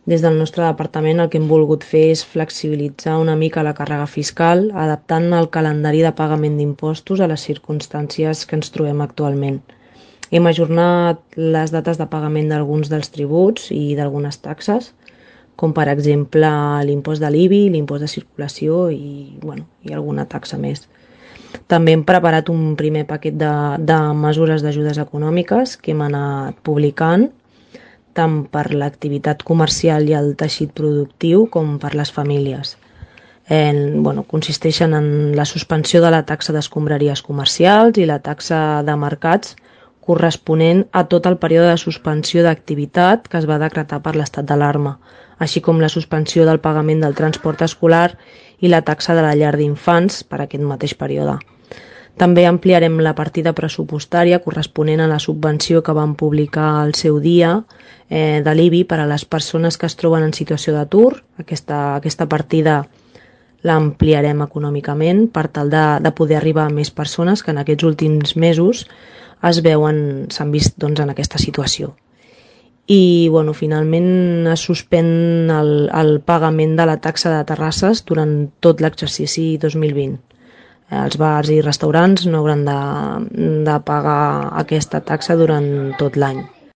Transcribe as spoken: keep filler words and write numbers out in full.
Des del nostre departament el que hem volgut fer és flexibilitzar una mica la càrrega fiscal, adaptant el calendari de pagament d'impostos a les circumstàncies que ens trobem actualment. Hem ajornat les dates de pagament d'alguns dels tributs i d'algunes taxes, com per exemple l'impost de l'I B I, l'impost de circulació i, bueno, i alguna taxa més. També hem preparat un primer paquet de, de mesures d'ajudes econòmiques que hem anat publicant, tant per l'activitat comercial i el teixit productiu com per les famílies. En, bueno, consisteixen en la suspensió de la taxa d'escombraries comercials i la taxa de mercats corresponent a tot el període de suspensió d'activitat que es va decretar per l'estat d'alarma, així com la suspensió del pagament del transport escolar i la taxa de la llar d'infants per aquest mateix període. També ampliarem la partida pressupostària corresponent a la subvenció que vam publicar al seu dia eh, de l'I B I per a les persones que es troben en situació d'atur. Aquesta, aquesta partida l'ampliarem econòmicament per tal de, de poder arribar a més persones que en aquests últims mesos es veuen, s'han vist doncs, en aquesta situació. I bueno, finalment es suspèn el, el pagament de la taxa de terrasses durant tot l'exercici dos mil vint. Els bars i restaurants no hauran de, de pagar aquesta taxa durant tot l'any.